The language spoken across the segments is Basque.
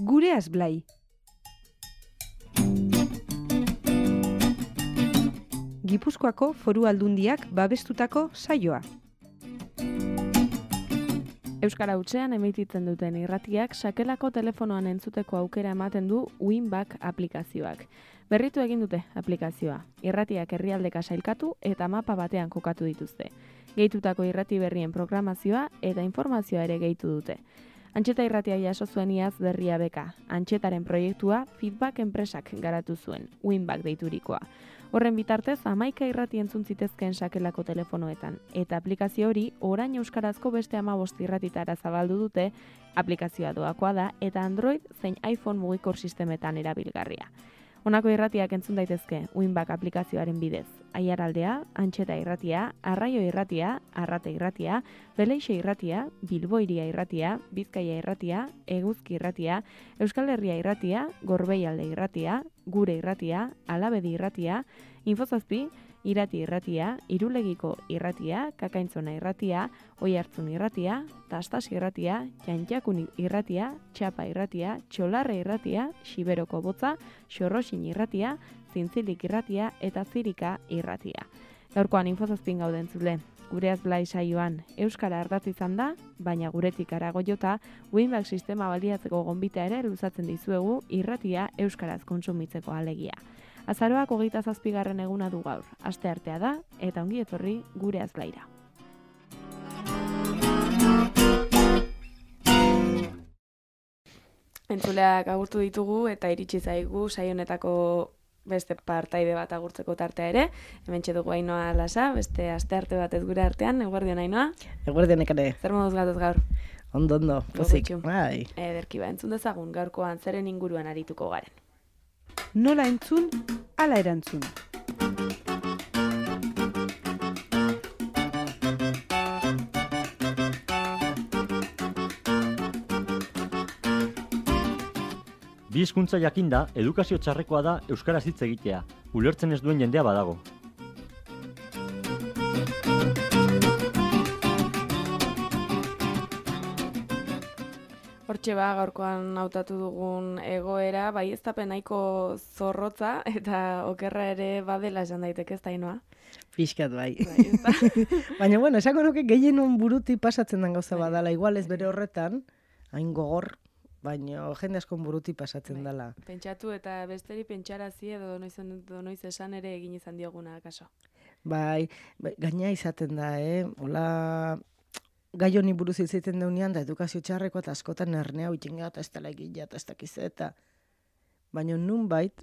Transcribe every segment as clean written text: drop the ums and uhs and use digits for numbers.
Gureaz Blai. Gipuzkoako Foru Aldundiak babestutako saioa. Euskara hutsean emititzen duten irratiak sakelako telefonoan entzuteko aukera ematen du Winback aplikazioak. Berritu egin dute aplikazioa. Irratiak herrialdeka sailkatu eta mapa batean kokatu dituzte. Gehitutako irrati berrien programazioa eta informazioa ere gehitu dute. Antxeta irratia jaso zuen iaz berria beka. Antxetaren proiektua Feedback enpresak garatu zuen, Winback deiturikoa. Horren bitartez, 11 irrati entzun zitezkeen sakelako telefonoetan. Eta aplikazio hori, orain euskarazko beste 15 irratitara zabaldu dute, aplikazioa doakoa da eta Android zein iPhone mugikor sistemetan erabilgarria. Honako irratiak entzun daitezke Winback aplikazioaren bidez. Aiaraldea, Antxeta irratia, Arraio irratia, Arrate irratia, Beleixe irratia, Bilbo iria irratia, Bizkaia irratia, Eguzki irratia, Euskal Herria irratia, Gorbeialde irratia, Gure irratia, Alabedi irratia, Infozazpi, Irati irratia, Irulegiko irratia, Kakaintzona irratia, Oihartzun irratia, Tastas irratia, Jantjakun irratia, Txapa irratia, Txolarre irratia, Xiberoko botza, Xorroxin irratia, Zintzilik irratia eta Zirika irratia. Gaurkoan Infozazpin gauden zule. Gureaz Blai saioan euskara ardatz izan da, baina guretik arago jota, Winback sistema baliatzeko gonbita ere luzatzen dizuegu irratia euskaraz kontsumitzeko alegia. Azaroak 27. eguna du gaur, asteartea da, eta ongi etorri Gureaz Blaira. Entzuleak agurtu ditugu eta iritsi zaigu saionetako beste partaide bat agurtzeko tartea ere. Hementxe dugu Ainoa Lasa, beste astearte bat ez gure artean. Eguerdion Ainoa? Eguerdion ekare. Zer moduz gatoz gaur? Ondo, pozik. Bai. Ederki ba, entzun dezagun gaurkoan zeren inguruan arituko garen. Nola entzun, ala erantzun. Bi hizkuntza jakinda, edukazio txarrekoa da euskaraz hitz egitea. Ulertzen ez duen jendea badago. Hortxe ba, gaurkoan hautatu dugun egoera, baieztapen nahiko zorrotza eta okerra ere badela esan daiteke ez da Ainoa. Pixkat bai. Baina bueno, esako nuke gehienon buruti pasatzen den gauza badala, igual ez bere horretan, hain gogor, baina jende askon buruti pasatzen dela. Pentsatu eta besteri pentsarazi edo noiz esan ere egin izan dioguna kaso. Bai, gaina izaten da, hola gai honi buruz izaten deunean, da edukazio txarreko eta askotan ernea uitinga eta ez dela egila eta ez dakizeta. Baina nunbait,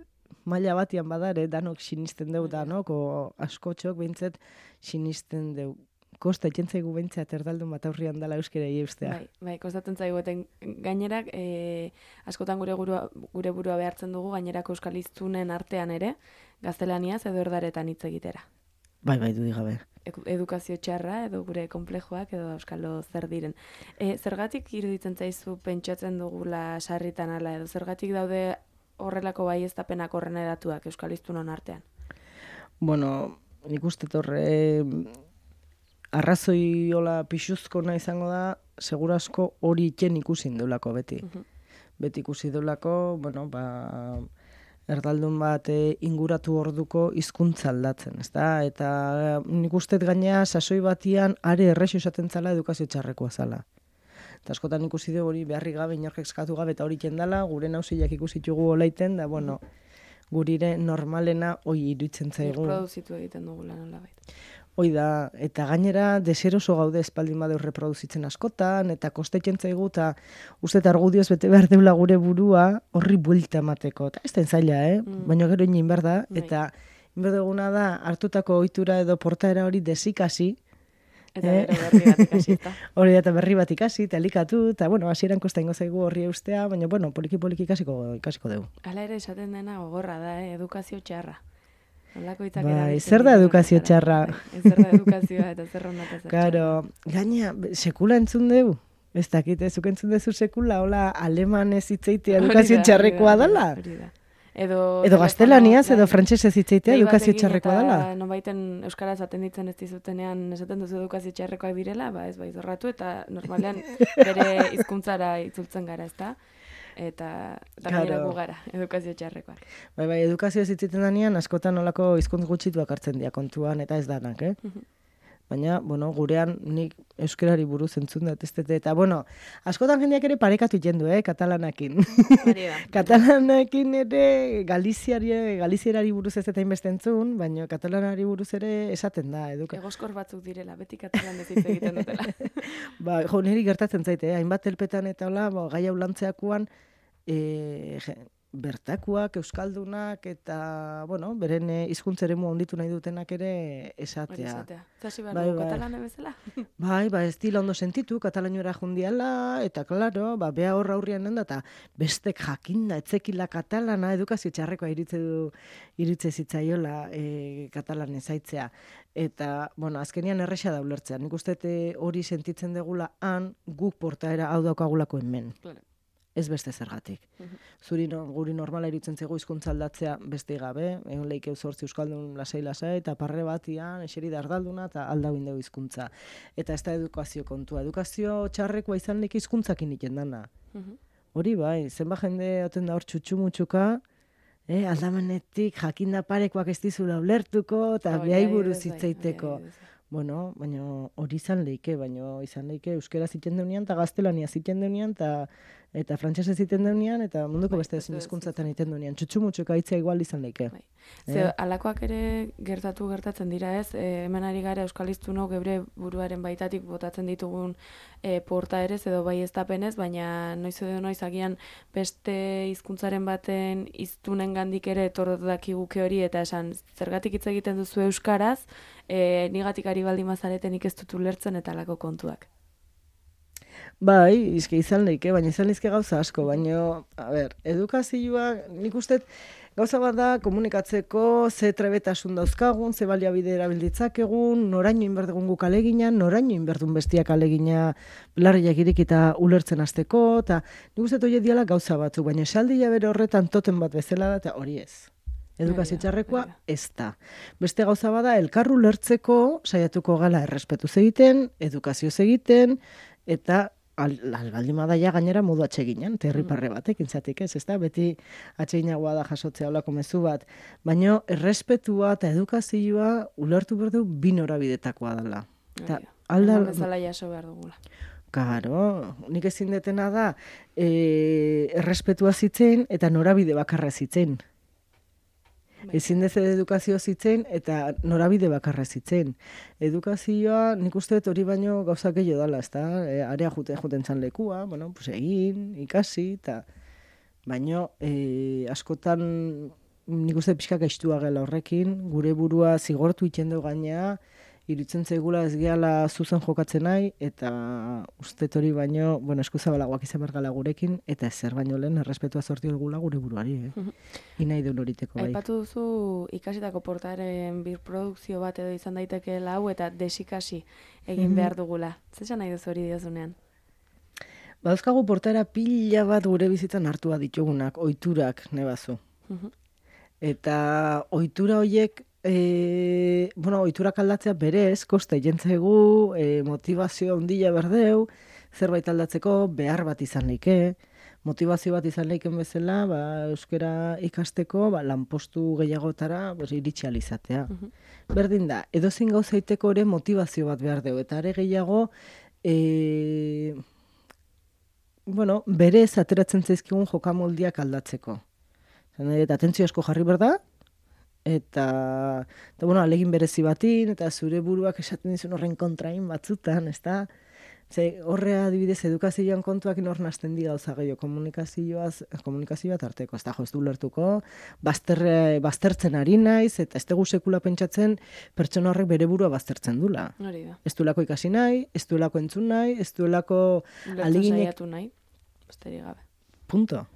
maila batian badare, danok sinisten deu danok, o askotxok behintzet sinisten deu. Kosta etxentzaigu behintzat erdaldun bat aurrian dela euskerei eustea. Bai, kostatzen zaigu, eten gainerak askotan gure burua behartzen dugu, gainerako euskal hiztunen artean ere, gaztelaniaz edo erdaretan hitz egitera. Bai, dudik gabe. Edukazio txarra edo gure konplejoak edo euskalo zer diren. Zergatik iruditzen zaizu pentsatzen dugula sarritan ala edo zergatik daude horrelako baieztapenak horren edatuak euskal hiztunon artean? Bueno, nik uste torre arrazoi hola pixuzko nahi izango da, segurasko hori iken ikusi deulako beti. Beti ikusi deulako, bueno, erdaldun bat inguratu orduko hizkuntza aldatzen, ezta? Eta nik uste gainea sasoi batian are errexo esaten zala edukazio txarrekoa zala. Eta askotan ikusi dugu hori beharri gabe, inork eskatu gabe eta hori kendala, gure nausiak ikusitugu olaiten, da bueno, gurire normalena hoi iruditzen zaigu. Reproduzitu egiten dugula nolabait. Hoi da, eta gainera deseroso gaude espaldin badeu reproduzitzen askotan, eta kostetzen zaigu, eta uste argudioz bete behar deula gure burua horri buelta emateko. Eta ez den zaila, baina gero inin behar da, eta inberdeguna da hartutako ohitura edo portaera hori desikasi. Eta berri bat ikasi, eta. Hori eta berri bat ikasi, eta elikatu, eta bueno, hasieran kosta ingo zaigu horri eustea, baina bueno, poliki ikasiko dugu. Hala ere esaten dena gogorra da, edukazio txarra. Bai, zer da edukazio txarra? Zer da edukazioa eta zer ronda eta zer txarra. Claro, gaina, sekula entzun dugu? Ez dakit, zuk entzun duzu sekula, hola, alemanez hitzeitea edukazio txarrekoa dela? Edo gaztelaniaz, edo frantsesez hitzeitea edukazio txarrekoa dela? Eta nonbaiten euskaraz atenditzen ez dizutenean esaten duzu edukazio txarrekoak direla, ez bai zorratu eta normalean bere hizkuntzara itzultzen gara, ezta? eta Claro. gainera gu gara, edukazio txarrekoak. Bai, edukazio zitziten danean, askotan olako hizkuntz gutxituak hartzen dira kontuan, eta ez danak, Baina, gurean nik euskarari buruz entzun dut, eta, askotan jendeak ere parekatu iten du, katalanakin. Hori da. Katalanakin ere galizierari buruz ez eta inbeste entzun, baina katalanari buruz ere esaten da, Egoskor batzuk direla, beti katalan ez hitz egiten dutela. Niri gertatzen zaite, hainbat elpetan eta hola, gai hau lantzeakuan, bertakuak, euskaldunak, eta, beren hizkuntza eremu onditu nahi dutenak ere esatea. Zasi behar dugu katalana bezala? Bai, ez dila ondo sentitu, katalainora jundiala, eta, klaro, bea horra hurrian nenda, eta bestek jakinda, etzekila katalana, edukazio txarrekoa iritze zitzaiola katalan ezaitzea. Eta, azkenian erresa da ulertzea. Nik uste hori sentitzen degula han, guk portaera hau daukagulako hemen. Claro. Ez beste zergatik. Guri normala iritzen zego hizkuntza aldatzea beste gabe, egon leike 8 euskaldun lasai, eta parre batian, eseri dardalduna, eta aldau indeu hizkuntza. Eta ez da edukazio kontua. Edukazio txarrekoa izan leke hizkuntzakin iten dana. Hori bai, zenba jende oten da hor txutxumutxuka, aldamenetik jakinda parekoak ez dizula ulertuko, eta behai buruz hitzeiteko. Baina hori izan leike, euskera ziten deunean, eta gaztelania ziten deunean, eta frantsesa ziten deunean, eta munduko beste ezin hizkuntzatan iten deunean. Txutxumutxuka hitzea igual izan leike. Alakoak ere gertatzen dira ez, hemen ari gara euskaliztunok geure buruaren baitatik botatzen ditugun portaerez edo bai eztapenez, baina noiz edo noiz agian beste hizkuntzaren baten hiztunen gandik ere etorrot dakiguke hori, eta esan zergatik hitz egiten duzu euskaraz, nigatik ari baldin mazareten ez dut ulertzen eta alako kontuak. Bai, izan leike, baina izan leizke gauza asko, baina, edukazioa, nik uste gauza bat da komunikatzeko ze trebetasun dauzkagun, ze baliabide erabilditzakegun, noraino inberdegun guk aleginan, noraino inberdun bestiak alegina larriak irikita ulertzen hasteko, eta nik uste hori diala gauza batzuk, baina esaldia bere horretan toten bat bezala da, eta hori ez. Edukazio txarrekoa ez da. Beste gauza bada, elkarru lertzeko saiatuko gala errespetuz egiten, edukazioz egiten, eta albaldin badaia gainera modu atseginen, terriparre batek, intzatik ez da, beti atseginagoa da jasotzea olako mezu bat, baina errespetua eta edukazioa ulertu berdu bi norabidetakoa dela. Bezala jaso behar dugula. Karo, nik ezin detena da errespetua zitzen eta norabide bakarra zitzen. Ezin dez edukazio zitzen eta norabide bakarra zitzen. Edukazioa nik uste hori baino gauzak gehiago dela, ez da? Area juten zan lekua, egin, ikasi, eta baino askotan nik uste pixka gaiztua gela horrekin, gure burua zigortu iten dugu gainea, irutzen zaigula ez gehala zuzen jokatzen nahi, eta uste hori baino, eskuzabalagoak izan bergala gurekin, eta ezer baino lehen errespetua sorti gula gure buruari, Inai deun horiteko bai. Aipatu duzu ikasitako portaren birprodukzio bat edo izan daitekeela hau, eta desikasi egin behar dugula. Zer nahi duzu hori diozunean? Badauzkagu portaera pila bat gure bizitzan hartua ditugunak, ohiturak nebazu. Eta ohitura horiek ohiturak aldatzea berez, kosta jentzegu, motivazio handia berdeu, zerbait aldatzeko behar bat izan leike, motivazio bat izan leiken bezala, euskara ikasteko, lanpostu gehiagotara iritsi alizatea. Berdin da, edozein gauzaiteko ere motivazio bat behar deu, eta are gehiago, berez ateratzen zaizkigun jokamoldiak aldatzeko. Eta atentzio asko jarri berda, eta alegin berezi batin, eta zure buruak esaten dizun horren kontrain batzutan, ez da? Horrea adibidez edukazioan kontuak hor nazten di gauza gehiago, komunikazioa tarteko, ez da, ez du lertuko, baztertzen ari naiz, eta ez dugu sekula pentsatzen pertsona horrek bere burua baztertzen dula. Ez duelako ikasi nahi, ez duelako entzun nahi, ez duelako aleginek... Saiatu nahi, besterik gabe. Punto.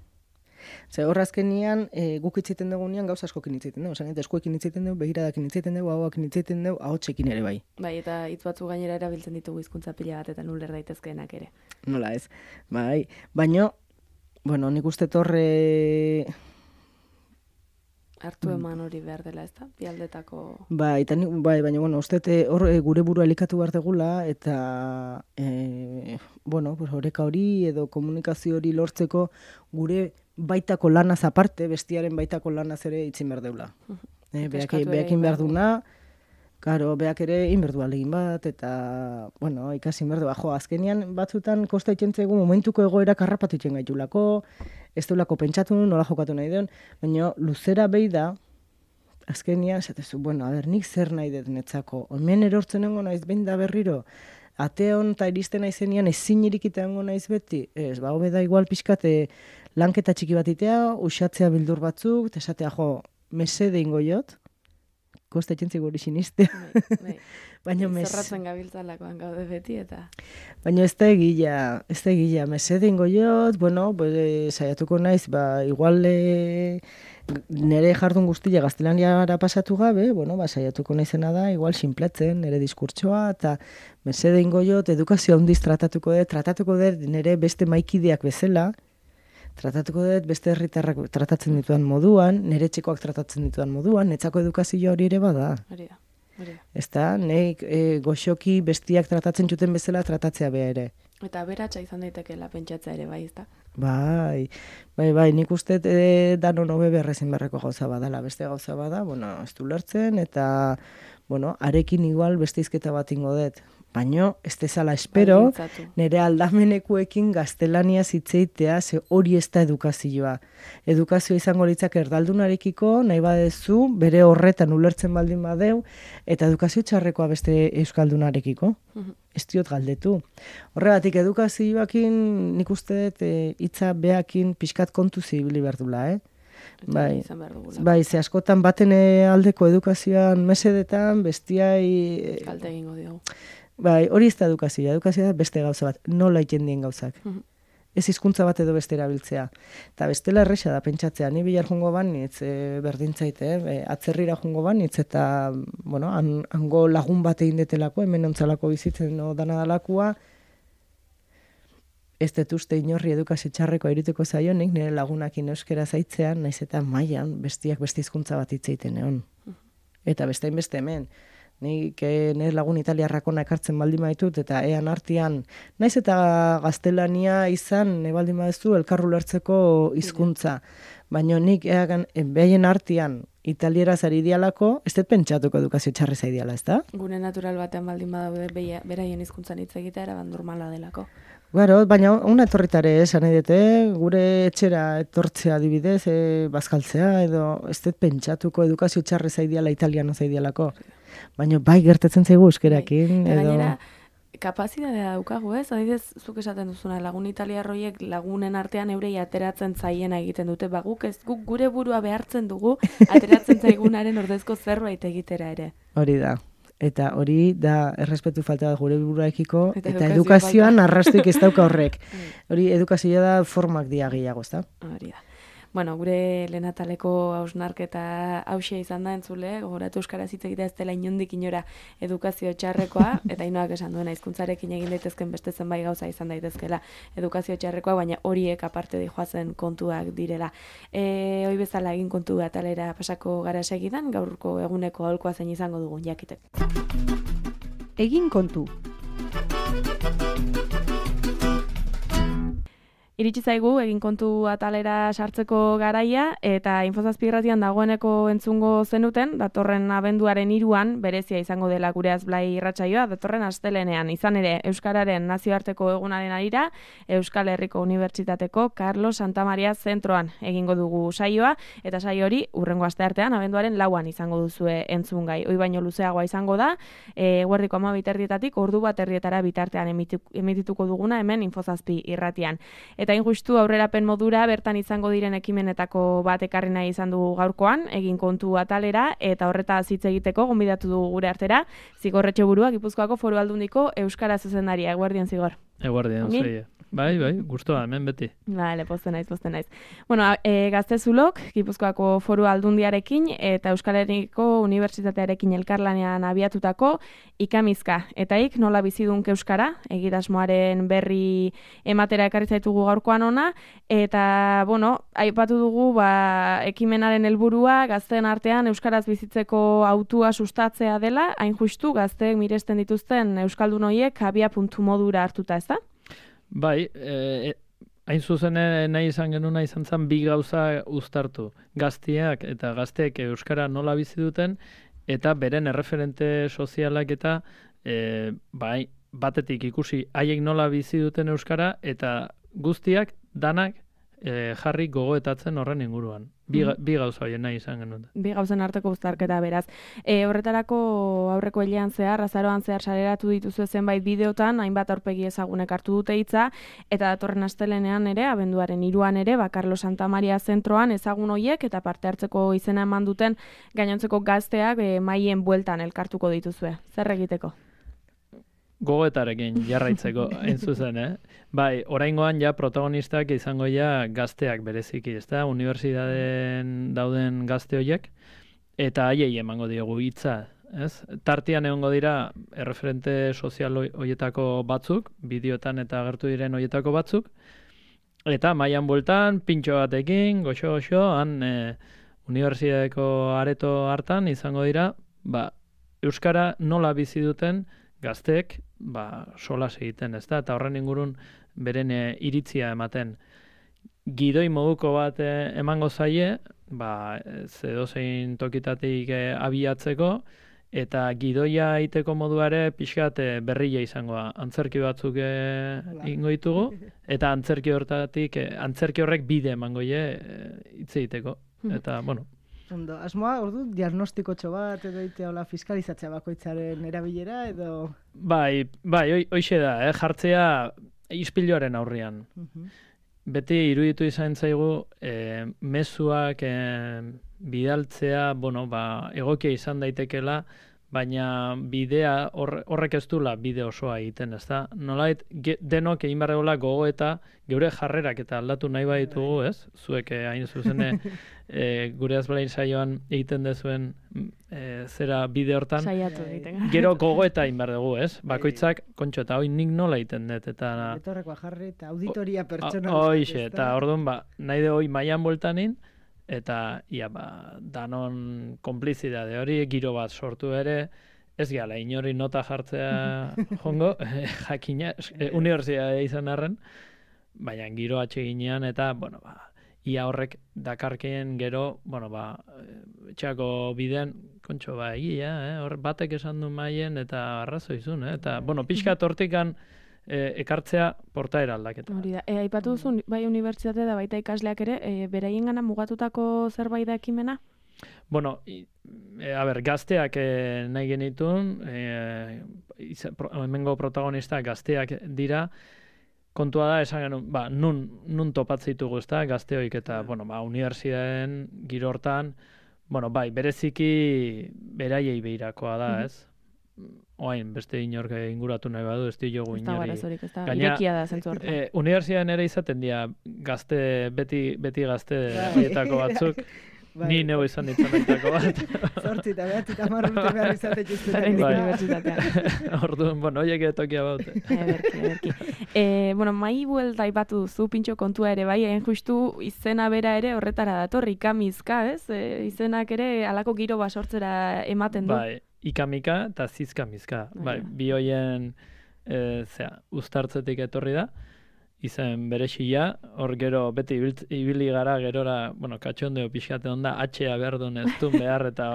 Horra azkenian, guk itziten dugunean gauza askokin itziten dugu. Eskuekin itziten dugu, begiradakin itziten dugu, ahoakin itziten dugu, ahotsekin ere bai. Bai, eta hitz batzu gainera erabiltzen ditugu hizkuntza pila bat eta uler daitezkeenak ere. Nola ez. Bai, baino, nik uste torre... Hartu eman hori behar dela, ez da? Bialdetako... Bai, baina, bueno, uste hor gure burua elikatu behar degula, eta, bueno, oreka hori edo komunikazio hori lortzeko gure baitako lanaz aparte, bestiaren baitako lanaz ere itzin behar deula. Behakin behar duna, karo, behak ere inberdu alegin bat, eta, bueno, ikasi inberdu. Azkenian batzutan kosta itxentzegu momentuko egoera karrapatu itxen gaitulako, ez deulako pentsatu, nola jokatu nahi duen, baina luzera behi da, azkenian, esatezu, bueno, nik zer nahi dut netzako, hemen erortzen nengo naiz behin da berriro, ate hon eta iristen naizenean ezin irikita nengo naiz beti, ez, hobe da igual pixkate lanketa txiki bat itea, usatzea bildur batzuk, eta esatea, mesede ingo jot, kosta etxentzik hori sinistea. Baina zerratzen gabiltzalakoan gaude beti eta... Baina ez da egila, mesede ingo jot, bueno, saiatuko naiz, igual nire jardun guztia gaztelaniara pasatu gabe, bueno, saiatuko naizena da, igual sinpletzen, nire diskurtsoa, eta mesede ingo jot, edukazio handiz tratatuko dut nire beste maikideak bezala, tratatuko dut beste herritarrak tratatzen dituan moduan, nire txekoak tratatzen dituan moduan, netzako edukazio hori ere bada. Hori da. Ez da, nek goxoki bestiak tratatzen zuten bezala tratatzea beha ere. Eta aberatsa izan daitekeela pentsatzea ere, bai, ez da? Bai, nik uste danon hobe berrezin berreko gauza badala, beste gauza bada, bueno, ez du lertzen, eta, bueno, arekin igual beste izketa bat ingo dut. Baina, ez dezala espero, nire aldamenekuekin gaztelania zitzeitea, ze hori ez da edukazioa. Edukazioa izango litzak erdaldunarekiko, nahi badezu, bere horretan ulertzen baldin badeu, eta edukazio txarrekoa beste euskaldunarekiko. Ez diot galdetu. Horregatik, edukazioakin nik uste dut hitza behakin pixkat kontu zibili behar dula, Bai, ze askotan baten aldeko edukazioan mesedetan, bestiai... Kalte egingo diogu. Bai, hori ez da edukazioa da beste gauza bat, nola iten dien gauzak. Ez hizkuntza bat edo beste erabiltzea. Eta bestela erresa da, pentsatzea, ni bilar jungo banitz, berdintzaite, atzerrira jungo banitz, eta, bueno, hango lagun bat egin detelako, hemen ontzalako bizitzen dana dalakua, ez dut uste inorri edukazio txarreko iruteko zaionik, nire lagunakin euskera zaitzean, naiz eta mailan bestiak beste hizkuntza bat hitzeiten egon. Eta bestein beste hemen. Nik nire lagun italiarrakona ekartzen baldin maitut, eta ean artean, naiz eta gaztelania izan, baldin badezu, elkarru lertzeko hizkuntza. Baina nik behaien artean italieraz ari dialako, ez dut pentsatuko edukazio txarrez ari diala, ez da? Gune natural batean baldin badaude beraien hizkuntzan hitz egitea eraban normala delako. Garo, baina una etorritare esan edete, gure etxera etortzea adibidez, bazkaltzea, edo ez dut pentsatuko edukazio txarrez ari diala italiano zai dialako. Baina bai gertatzen zaigu euskerakin. Eta gainera, kapazitatea daukagu ez? Adibidez, zuk esaten duzuna, lagun italiarroiek lagunen artean eurei ateratzen zaiena egiten dute. Guk gure burua behartzen dugu, ateratzen zaigunaren ordezko zerbait egitera ere. Hori da. Eta hori da errespetu falta gure buruaekiko, eta edukazioan arrastuik ez dauka horrek. Hori edukazioa da formak diagiago, ez da? Hori da. Bueno, gure lehenataleko hausnarketa hausia izan da entzule, gogoratu euskaraz hitz egitea ez dela inondik inora edukazio txarrekoa, eta Inoak esan duena hizkuntzarekin egin daitezken beste zenbait gauza izan daitezkela edukazio txarrekoa, baina horiek aparte dijoazen kontuak direla. Hoi bezala egin kontu atalera pasako gara segidan, gaurko eguneko aholkoa zein izango dugun jakiteko. Egin kontu. Iritsi zaigu egin kontu atalera sartzeko garaia eta Infozazpi irratian dagoeneko entzungo zenuten, datorren abenduaren 3an berezia izango dela gure Azblai irratsaioa, datorren astelenean. Izan ere, Euskararen nazioarteko egunaren arira, Euskal Herriko Unibertsitateko Carlos Santamaria zentroan egingo dugu saioa, eta saio hori hurrengo asteartean abenduaren 4an izango duzue entzungai. Hoi baino luzeagoa izango da, eguerdiko 12:00 ordu 1:00 bitartean emitituko duguna hemen Infozazpi irratian. Eta injustu aurrerapen modura bertan izango diren ekimenetako bat ekarri nahi izan dugu gaurkoan, egin kontu atalera, eta horretaz hitz egiteko gonbidatu dugu gure artera, Zigor Etxeburua, Gipuzkoako Foru Aldundiko Euskara zuzendaria. Eguerdion, Zigor. Eguerdion, zeie. Bai, gustoa hemen beti. Bale, pozten naiz. Bueno, Gaztezulok, Gipuzkoako Foru Aldundiarekin eta Euskal Herriko Unibertsitatearekin elkarlanean abiatutako ikamizka. Eta nola bizidunk euskara, egitasmoaren berri ematera ekarri zaitugu gaurkoan ona, eta, bueno, aipatu dugu, ekimenaren helburua gazteen artean euskaraz bizitzeko hautua sustatzea dela, hain justu gazteek miresten dituzten euskaldun horiek abia puntu modura hartuta, ezta? Bai, hain zuzen nahi izan genuna izan zen bi gauza uztartu. Gazteak eta gazteek euskara nola bizi duten eta beren erreferente sozialak eta batetik ikusi haiek nola bizi duten euskara eta guztiak danak jarri gogoetatzen horren inguruan. Bi gauza horien nahi izan genuen. Bi gauzen arteko uztarketa beraz. Horretarako aurreko hilean zehar, azaroan zehar saleratu dituzu zenbait bideotan, hainbat aurpegi ezagunek hartu dute hitza, eta datorren astelenean ere, abenduaren 3an ere, Carlos Santamaria zentroan ezagun hoiek eta parte hartzeko izena eman duten gainontzeko gazteak mahaien bueltan elkartuko dituzue. Zer egiteko? Gogoetarekin jarraitzeko, hain zuzen, Bai, oraingoan ja protagonistak izango ja gazteak bereziki, ezta? Unibertsitateen dauden gazte horiek, eta haiei emango diogu hitza, ez? Tartean egongo dira erreferente sozial horietako batzuk, bideotan eta agertu diren horietako batzuk, eta mahaian bueltan, pintxo batekin, goxo, han unibertsitateko areto hartan izango dira, euskara nola bizi duten gazteek solas egiten, ezta? Eta horren ingurun beren iritzia ematen. Gidoi moduko bat emango zaie, edozein tokitatik abiatzeko, eta gidoia egiteko modua pixkat berria izangoa. Antzerki batzuk ingo ditugu, eta antzerki horrek bide emango hitz egiteko. Eta, bueno. Ondo, asmoa, ordu, diagnostikotxo bat, edo itea fiskalizatzea bakoitzaren erabilera, edo... Bai, hoixe da, jartzea ispiluaren aurrian. Beti iruditu izan zaigu, mezuak bidaltzea, egokia izan daitekela, baina bidea horrek ez dula bide osoa egiten, ezta? Nolait denok egin barregola gogo eta geure jarrerak eta aldatu nahi baditugu, ez? Zuek hain zuzene gure azbalain saioan egiten dezuen zera bide hortan. Saiatu egiten. Gero gogo eta egin behar dugu, ez? Bakoitzak, kontxo, eta hoi nik nola egiten dut, eta... Etorrekoa jarri eta auditoria pertsona. Hoixe, eta orduan, nahi de hoi mailan bueltanin, eta danon konplizidade hori, giro bat sortu ere, ez gala, inori nota jartzea jongo, jakina, unibertsitatea izan arren, baina giro atseginean eta, ia horrek dakarkeen gero, etxeako bidean, kontxo, egia, hor batek esan du maien eta arrazoizun, eta, pixkat hortikan ekartzea portaera aldaketa. Hori da, aipatu duzu, bai unibertsitate da baita ikasleak ere, beraien gana mugatutako zerbait da ekimena? Gazteak nahi genitun, hemengo protagonistak gazteak dira, kontua da, esan genuen, nun topatzitugu ez da, gazteoik eta, unibertsitateen giro hortan, bereziki beraiei behirakoa da, ez? Oain, beste inork inguratu nahi badu, ez diogu inori. Ez da, irekia da zentzu hortan. Unibertsitatean ere izaten dira, beti gazte horietako batzuk, ni neu izan ditzamentako bat. Zortzi eta behatzi eta marrute behar izate txuztetan. Orduan, horiek tokia baute. Mai buelta aipatu duzu, pintxo kontua ere, bai, justu izena bera ere horretara dator, ikamizka, ez? Izenak ere alako giro basortzera ematen du. Bai, ikamika eta zizkamizka. Bi hoien uztartzetik etorri da, izen berexia, hor gero beti ibili gara gerora, katxondeo pixkate onda, atxea behar duen ez duen behar, eta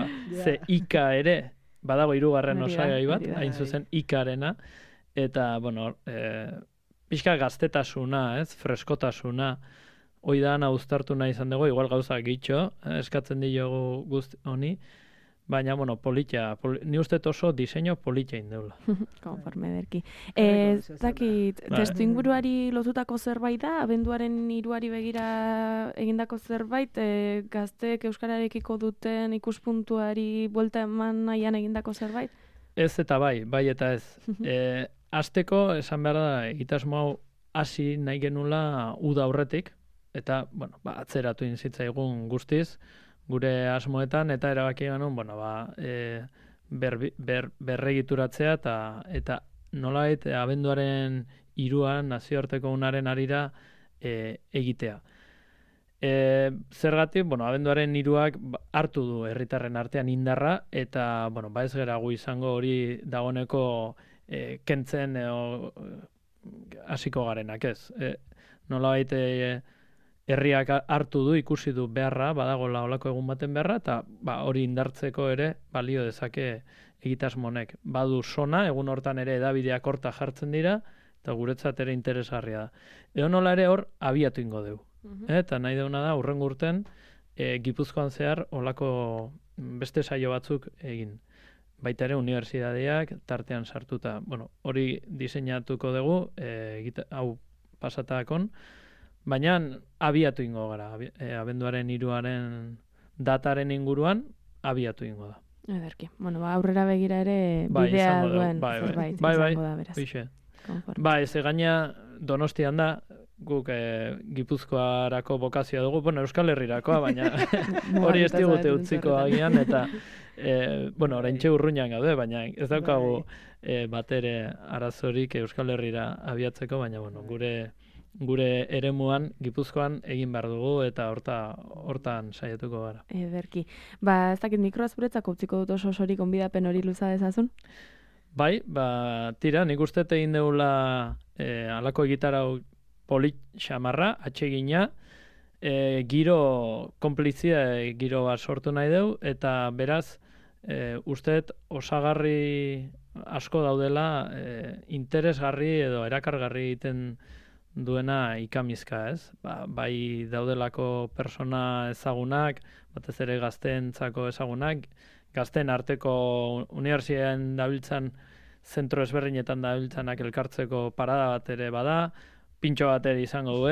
ze ika ere, badago 3. osagai bat, hain zuzen ikarena, eta, pixka gaztetasuna, freskotasuna, hoi da ana uztartu nahi izan dugu, igual gauza gitxo, eskatzen diogu guzti honi, baina, ni uste oso diseño politia indeula. Konforme derki. Zakit, testu inguruari lotutako zerbait da, abenduaren 3ari begira egindako zerbait, gazteek euskararekiko duten ikuspuntuari buelta eman nahian egindako zerbait? Ez eta bai eta ez. Hasteko esan behar da, egitasmo hau hasi nahi genula uda aurretik, eta, bueno, atzeratu inzitzaigun guztiz, gure asmoetan, eta erabaki genuen, berregituratzea, eta nolait abenduaren 3 nazioarteko unaren arira egitea. Zergatik, abenduaren 3ak hartu du herritarren artean indarra, eta, ez gera gu izango hori dagoneko kentzen hasiko garenak, ez. Nolabait herriak hartu du, ikusi du beharra, badagoela olako egun baten beharra, eta hori indartzeko ere balio dezake egitasmonek. Badu sona, egun hortan ere edabideak horta jartzen dira, eta guretzat ere interesgarria da. Edo nola ere hor abiatu ingo dugu. Eta nahi deuna da, hurrengo urten, Gipuzkoan zehar olako beste saio batzuk egin. Baita ere unibertsitateak tartean sartuta. Hori diseinatuko dugu, hau pasatakon, baina abiatu ingo gara. Abenduaren 3aren dataren inguruan abiatu ingo da. Ederki. Aurrera begira ere bidea duen zerbait izango da, beraz. Ez gaina Donostian da, guk Gipuzkoarako bokazioa dugu, Euskal Herrirakoa, baina hori ez digute utziko agian, eta oraintxe urruñan gaude, baina ez daukagu batere arazorik Euskal Herrira abiatzeko, baina gure eremuan Gipuzkoan egin behar dugu, eta hortan saiatuko gara. Ederki. Ez dakit mikroa zuretzako utziko dut osorik onbidapen hori luza dezazun? Bai, tira, nik uste egin deula alako egitarau polit xamarra, atsegina, giro konplizia, giro bat sortu nahi deu, eta beraz, usteet osagarri asko daudela interesgarri edo erakargarri egiten duena ikamizka, ez? Bai daudelako persona ezagunak, batez ere gazteentzako ezagunak, gazteen arteko unibertsitatean dabiltzan, zentro ezberdinetan dabiltzanak elkartzeko parada bat ere bada, pintxo bat ere izango du,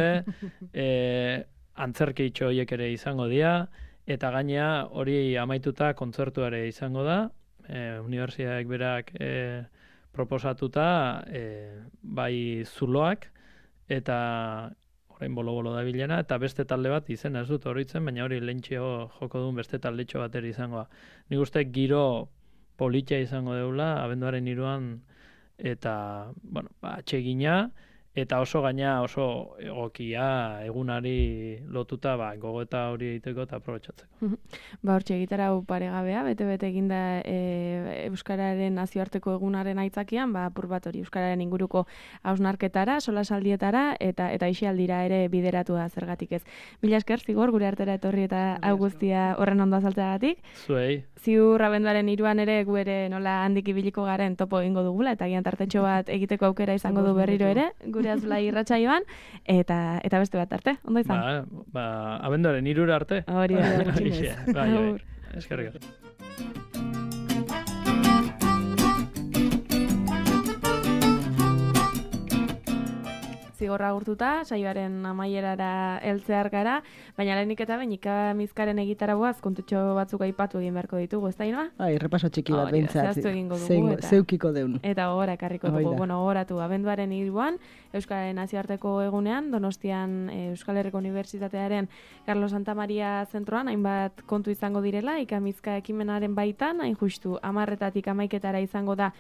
antzerkitxo horiek ere izango dira, eta gainea hori amaituta kontzertu ere izango da, unibertsitateak berak proposatuta, bai zuloak, eta orain bolo-bolo da bilena, eta beste talde bat izena ez dut horitzen, baina hori lehentxeo joko duen beste taldetxo bat ere izango da. Nik uste giro politia izango deula, abenduaren 3an, eta, atsegina, eta oso gaina oso egokia egunari lotuta gogoeta hori egiteko eta aprobetxatzeko. Hortxe egitarau paregabea, bete-bete eginda Euskararen nazioarteko egunaren aitzakian, apur bat hori Euskararen inguruko hausnarketara, solasaldietara eta isialdira ere bideratu da zergatik ez. Mila esker, Zigor, gure artera etorri eta hau guztia horren ondo azaltzeagatik. Zuei. Ziur abenduaren 3an ere gu ere nola handik ibiliko garen topo egingo dugula, eta gian tartetxo bat egiteko aukera izango du berriro ere, gure azula irratsaioan, eta beste bat arte, ondo izan? Abenduaren 3 arte. Hori da, gutxinez. Bai, eskerrik asko. Zigorra agurtuta, saioaren amaierara heltzear gara, baina lehenik eta behin ikamizkaren egitaragoaz kontutxo batzuk aipatu egin beharko ditugu, ez da inoa? Repaso txiki bat behintzat. Zehaztu egingo dugu. Zeukiko deun. Eta gogora ekarriko dugu. Gogoratu, abenduaren 3an, Euskararen nazioarteko egunean, Donostian Euskal Herriko Unibertsitatearen Carlos Santa Maria zentroan, hainbat kontu izango direla, ikamizka ekimenaren baitan, hain justu, 10-etatik 11-etara izango da,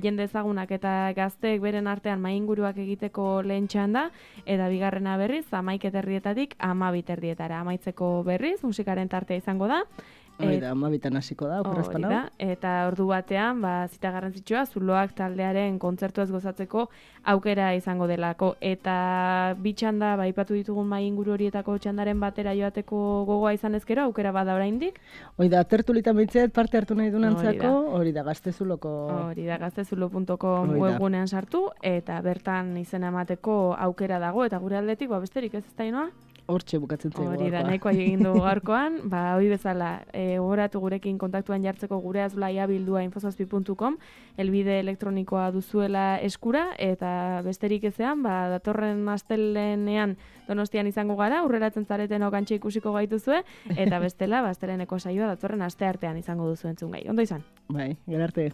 jende ezagunak eta gazteek beren artean mainguruak egiteko lehen da, eta bigarrena berriz, 11-etatik 12-etara amaitzeko berriz, musikaren tartea izango da. Hori da, 12-etan hasiko da, okerrezpan hau. Eta ordu batean, zita garrantzitsua, zuloak taldearen kontzertuaz gozatzeko aukera izango delako. Eta bitxanda, ipatu ditugun mai inguru horietako txandaren batera joateko gogoa izan ezkero, aukera bada oraindik. Hori da, tertulita mintzeet parte hartu nahi dunantzako, hori da, gaztezuloko... Hori da, gaztezulo.com webgunean sartu, eta bertan izena emateko aukera dago, eta gure aldetik, besterik ez da inoa? Hortxe bukatzen zaigu. Hori da, nahikoa egin dugu gaurkoan, hori bezala, gogoratu gurekin kontaktuan jartzeko gure azulaia bildua infosazpi.com, elbide elektronikoa duzuela eskura, eta besterik ezean, datorren astelenean Donostian izango gara, aurreratzen zareten okantxe ikusiko gaituzue, eta bestela, asteleneko saioa datorren asteartean izango duzu entzun gai. Ondo izan? Bai, gerarte.